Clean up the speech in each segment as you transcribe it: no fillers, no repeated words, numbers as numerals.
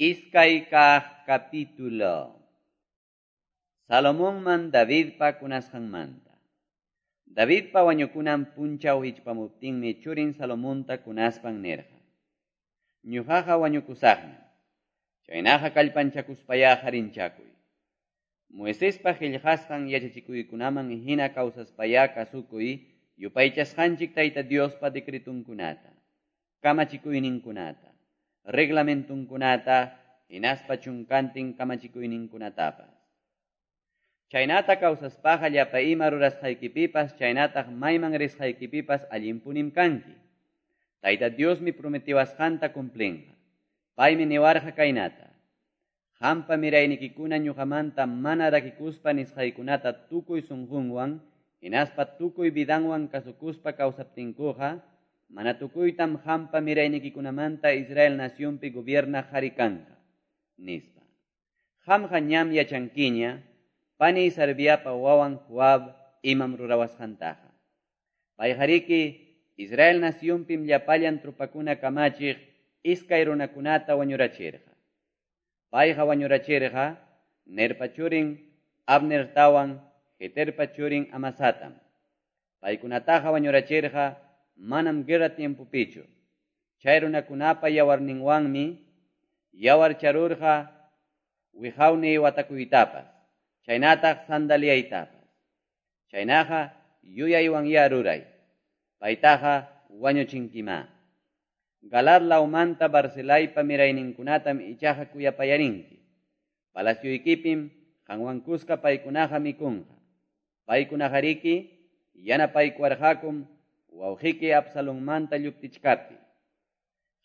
Iskay kaq capítulo. Salomonman Davidpa kunasqanmanta. Davidpa wañukunan punchaw hichpamuptinmi churin Salomonta kunaspan nirqa: Ñuqaqa wañukusaqñam. Chaynaqa kallpanchakuspayá harinchakuy. Moisespa qillqasqan yachachikuykunaman hina kawsaspayá kasukuy yupaychasqanchik Tayta Diospa decretunkunata, kamachikuyninkunata, reglamentunkunata, hinaspa chunkantin kamachikuyninkunatapas. Chaynata kawsaspaqa llapa ima rurasqaykipipas chaynataq mayman risqaykipipas allinpunim kanki. Tayta Diosmi prometiwasqanta cumplinqa. Paymi niwarqa kaynata: Qampa miraynikikuna ñuqamanta mana rakikuspa nisqaykunata tukuy sunqunwan hinaspa tukuy vidanwan kasukuspa kawsaptinkuqa, mana tukuytam qampa miraynikikunamanta Israel nacionpi gobiernaq qhari kanqa, nispa. Qamqa ñam yachankiña, paniy Sarviapa wawan Joab imam rurawasqantaqa. Payqariki Israel nacionpim llapallan tropakuna kamachiq iskay runakunata wañurachirqa. Payqa wañurachirqa Nerpa churin Abnertawan Jeterpa churin Amasatam. Paykunataqa wañurachirqa manam guerra tiempopichu. Chay runakunapa yawarninwanmi yawarcharurqa wiqawniy watakuytapas, chaynataq sandaliaytapas. Chaynaqa yuyaywanyá ruray. Paytaqa wañuchinkimá. Galaad lawmanta Barzilaypa mirayninkunatam ichaqa kuyapayarinki. Palacioykipim qanwan kuska paykunaqa mikunqa. Paykunaqariki yanapaykuwarqakum wawqiyki Absalonmanta lluptichkaptiy.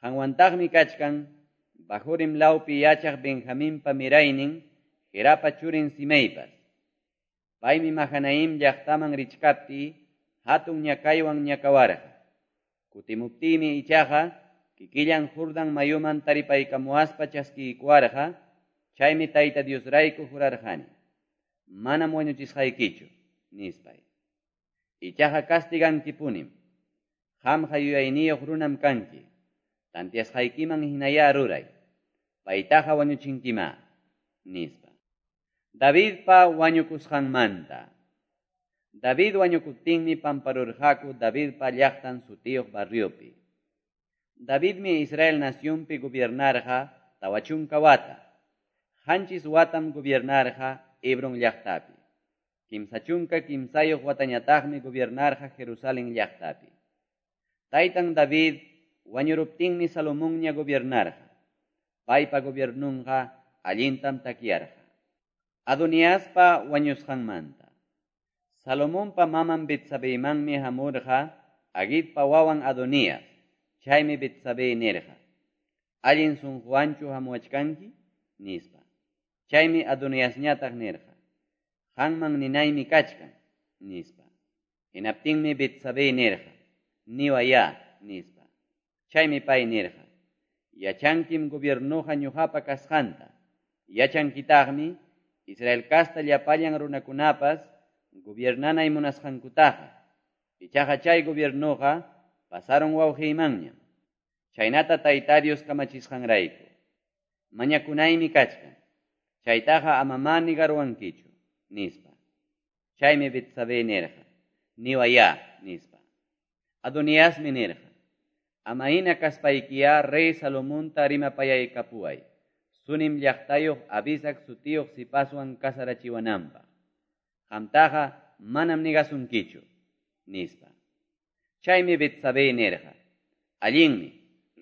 Qanwantaqmi kachkan Bahurim lawpi yachaq Benjaminpa miraynin Gerapa churin Simeipas. Paymi Mahanaim llaqtaman richkaptiy hatun ñakaywan ñakawarqa. Kutimuptiymi ichaqa kikillan Jordán mayuman taripaykamuwaspa chaskiykuwarqa, chaymi Tayta Diosrayku jurarqani: Manam wañuchisqaykichu, nispay. Ichaqa castigankipunim. Qamqa yuyayniyuq runam kanki. Tantiasqaykiman hinayá ruray. Paytaqa wañuchinkimá, nispa. Davidpa wañukusqanmanta. David wañukuptinmi pamparurqaku Davidpa llaqtan sutiyuq barriopi. Davidmi Israel nacionpi gobiernarqa 40 wata. 7 watam gobiernarqa Hebron llaqtapi. 33 watañataqmi gobiernarqa Jerusalén llaqtapi. Taytan David wañuruptinmi Salomonña gobiernarqa. Paypa gobiernunqa allintam takyarqa. Adoniaspa wañusqanmanta. Salomonpa maman Betsabeymanmi hamurqa Agitpa wawan Adonías. Chaymi Betsabé nirqa: Allin sunquwanchu hamuwachkanki, nispa. Chaymi Adoniasñataq nirqa: Qanman ninaymi kachkan, nispa. Hinaptinmi Betsabé nirqa: Niwayá, nispa. Chaymi pay nirqa: Yachankim gobiernoqa ñuqapa kasqanta. Yachankitaqmi Israel casta llapallan runakunapas gobiernanay munasqankutaqa. Ichaqa chay gobiernoqa pasaron wawqiymanñam. Chaynata Tayta Dios kamachisqanrayku. Mañakunaymi kachkan. Chaytaqa amamá nigaruwankichu, nispa. Chaymi Betsabé nirqa: Niwayá, nispa. Adoniasmi nirqa: Ama hina kaspaykiyá rey Salomonta rimapayaykapuway, Sunem llaqtayuq Abisac sutiyuq sipaswan kasarachiwananpaq. Qamtaqa manam nigasunkichu, nispa. Chaymi Betsabé nirqa: Allinmi,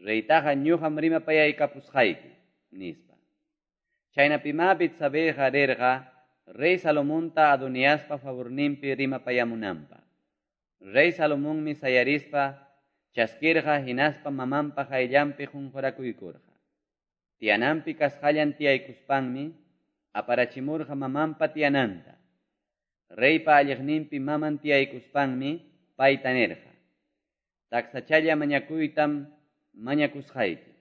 reytaqa ñuqam rimapayaykapusqayki, nispa. Chaynapimá Betsabéqa rirqa rey Salomonta Adoniaspa favorninpi rimapayamunanpaq. Rey Salomonmi sayarispa chaskirqa hinaspa mamanpa qayllanpi qunqurakuykurqa. Tiyananpi kasqallan tiyaykuspanmi aparachimurqa mamanpa tiyananta. Reypa alliqninpi maman tiyaykuspanmi payta nirqa: Taksachalla mañakuytam mañakusqayki.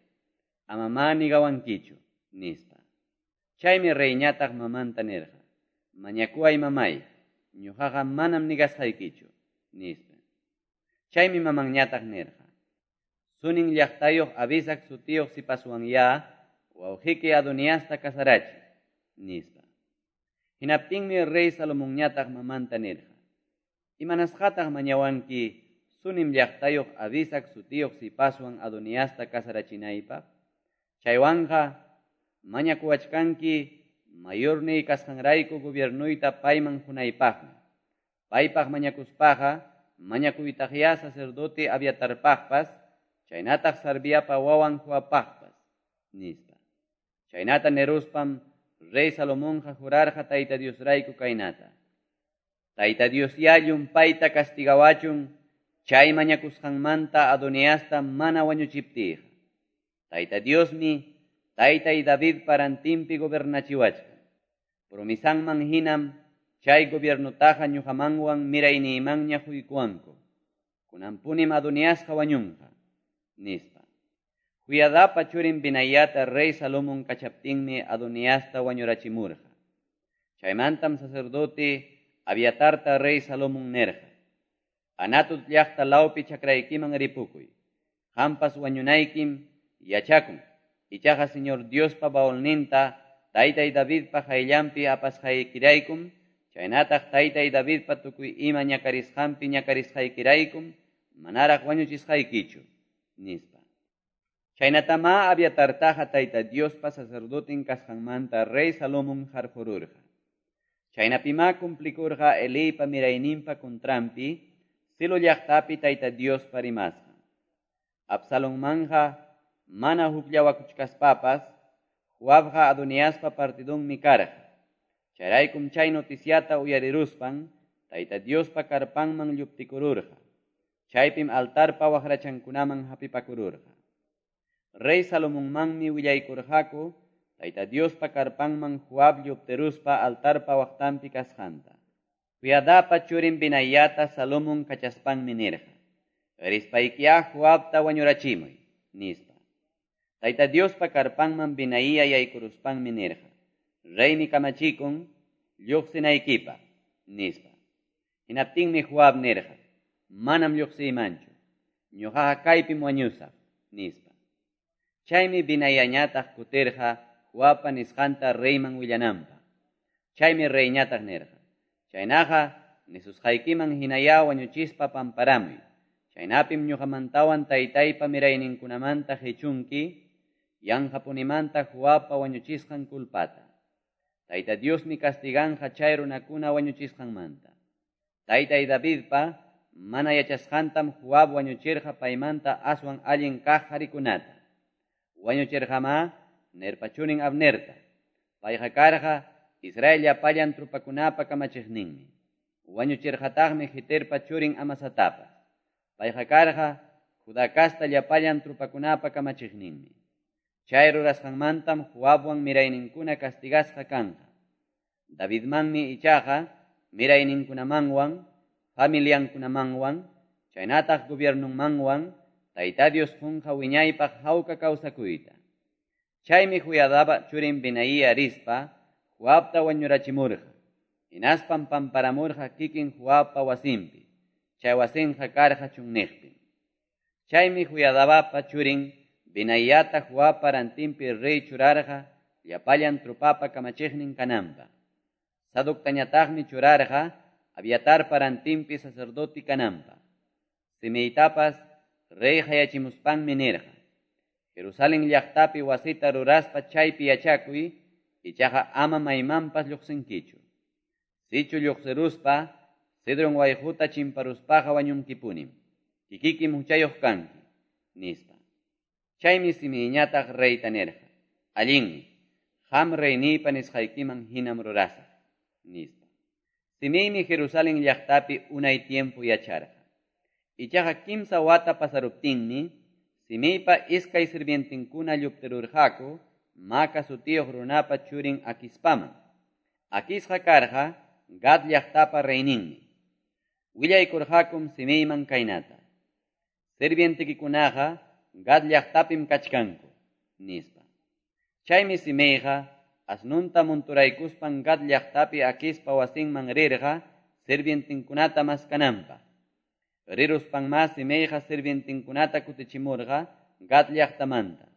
Amamá nigawankichu, nispa. Chaymi reyñataq mamanta nirqa: Mañakuway mamay, ñuqaqa manam nigasqaykichu, nispa. Chaymi mamanñataq nirqa: Sunem llaqtayuq Abisac sutiyuq sipaswanyá wawqeki Adoniasta casarachiy, nispa. Hinaptinmi rey Salomonñataq mamanta nirqa: Imanasqataq mañawanki Sunem llaqtayuq Abisag sutiyuq sipaswan Adoniasta casarachinaypaq? Chaywanqa mañakuwachkanki mayorniy kasqanrayku gobiernuyta payman qunaypaqmi. Paypaq mañakuspaqa mañakuytaqyá sacerdote Abiatarpaqpas, chaynataq Sarviapa wawan Joabpaqpas, nispa. Chaynata niruspam rey Salomonqa jurarqa Tayta Diosrayku kaynata: Tayta Diosyá llumpayta castigawachun chay mañakusqanmanta Adoniasta mana wañuchiptiyqa. Tayta Diosmi taytay Davidpa rantinpi gobernachiwachkan. Promesanman hinam chay gobiernutaqa ñuqamanwan mirayniymanña quykuwanku. Kunanpunim Adoniasqa wañunqa, nispa. Joiadapa churin Benayata rey Salomón kachaptinmi Adoniasta wañurachimurqa. Chaymantam sacerdote Abiatarta rey Salomón nirqa: Anatot llaqta lawpi chakraykiman ripukuy. Qampas wañunaykim yachakun. Ichaqa Señor Diospa baulninta taytay Davidpa qayllanpi apasqaykiraykum, chaynataq taytay Davidpa tukuy ima ñakarisqanpi ñakarisqaykiraykum, manaraq wañuchisqaykichu, nispa. Chaynatamá Abiatartaqa Tayta Diospa sacerdoten kasqanmanta rey Salomón qarqururqa. Chaynapimá cumplikurqa Eliypa mirayninpa contranpi Silo llaqtapi Tayta Diospa rimasqan. Absalonmanja mana hukllawakuchkaspapas, Joabqa Adoniaspa partidunmi karqa. Chayraykum chay noticiata uyariruspan Tayta Diospa karpanman lluptikururqa. Chaypim altarpa waqrachankunaman hapipakururqa. Rey Salomonmanmi willaykurqaku Tayta Diospa karpanman Joab lluptiruspa altarpa waqtanpi kasqanta. Joiadapa churin Benayata Salomón kachaspanmi nirqa: Rispaykiyá Joabta wañurachimuy, nispa. Tayta Diospa karpanman Benaía yaykuruspanmi nirqa: Reymi kamachikun lluqsinaykipaq, nispa. Hinaptinmi Joab nirqa: Manam lluqsiymanchu, ñuqaqa kaypim wañusaq, nispa. Chaymi Benayañataq kutirqa Joabpa nisqanta reyman willananpaq. Chaymi reyñataq nirqa: Chaynaqa nisusqaykiman hinayá wañuchispa pamparamuy. Chaynapim ñuqamantawan taytaypa mirayninkunamanta qichunki yanqapunimanta Joabpa wañuchisqan culpata. Tayta Diosmi castiganqa chay runakuna wañuchisqanmanta. Taytay Davidpa mana yachasqantam Joab wañuchirqa paymanta aswan allin kaq qarikunata. Wañuchirqamá Nerpa churin Abnerta. Payqa karqa Israel llapallan trupakunapa kamachiqninmi. Wañuchirqataqmi Jeterpa churin Amasatapas. Payqa karqa Judá casta llapallan trupakunapa kamachiqninmi. Chay rurasqanmantam Joabwan mirayninkuna castigasqa kanqa. Davidmanmi ichaqa mirayninkunamanwan, familiankunamanwan, chaynataq gobiernunmanwan, Tayta Dios qunqa wiñaypaq hawka kawsakuyta. Chaymi Joiadapa churin Benaía rispa Joabta wañurachimurqa. Hinaspam pamparamurqa kikin Joabpa wasinpi. Chay wasinqa karqa chunniqpim. Chaymi Joiadapa churin Benayata Joabpa rantinpi rey churarqa llapallan trupapa kamachiqnin kananpaq. Sadoctañataqmi churarqa Abiatarpa rantinpi sacerdote kananpaq. Simeitapas rey hayachimuspanmi nirqa: Jerusalén llaqtapi wasita ruraspa chaypi yachakuy, ichaqa ama maymanpas lluqsinkichu. Sichu lluqsiruspa, Cedrón wayquta chimparuspaqa wañunkipunim. Kikikim huchayuq kanki, nispa. Chaymi Simeiñataq reyta nirqa: Allinmi, qam reyniypa nisqaykiman hinam rurasaq, nispa. Simeimi Jerusalén llaqtapi unay tiempo yacharqa. Ichaqa kimsa wata pasaruptinmi, Simeipa iskay sirvientinkuna lluptirurqaku Maca sutiyuq runapa churin Aquispaman. Aquisqa karqa Gat llaqtapa reyninmi. Willaykurqakum Simeiman kaynata: Sirvientikikunaqa Gat llaqtapim kachkanku, nispa. Chaymi Simeiqa asnunta monturaykuspan Gat llaqtapi Aquispa wasinman rirqa sirvientinkunata maskananpaq. Riruspanmá Simeiqa sirvientinkunata kutichimurqa Gat llaqtamanta.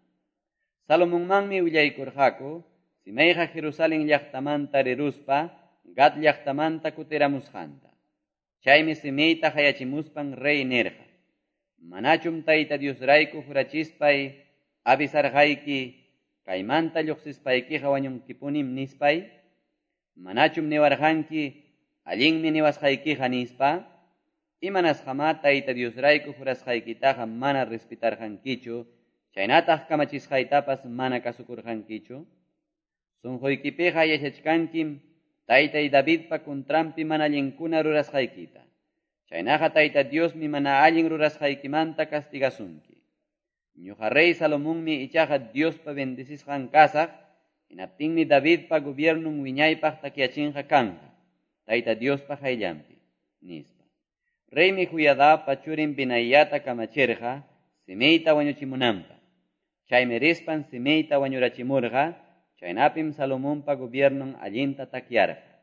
Salomonmanmi willaykurqaku Simeiqa Jerusalen llaqtamanta riruspa Gat llaqtamanta kutiramusqanta. Chaymi Simeita qayachimuspan rey nirqa: Manachum Tayta Diosrayku jurachispay avisarqayki, kaymanta lluqsispaykiqa wañunkipunim nispay? Manachum niwarqanki, allinmi niwasqaykiqa nispa? Imanasqamá Tayta Diosrayku jurasqaykitaqa mana respetarqankichu, chaynataq kamachisqaytapas mana kasukurqankichu? Sunquykipiqa yachachkankim taytay Davidpa contranpi mana allinkuna rurasqaykita. Chaynaqa Tayta Diosmi mana allin rurasqaykimanta castigasunki. Ñuqa rey Salomonmi ichaqa Diospa bendecisqan kasaq, hinaptinmi Davidpa gobiernon wiñaypaq takyachinqa kanqa, Tayta Diospa qayllanpi, nispa. Reymi Joiadapa churin Benayata kamachirqa Simeita wañuchimunanpaq. Chaymi rispan Simeita wañurachimurqa, chaynapim Salomonpa gobiernon allinta takyarqa.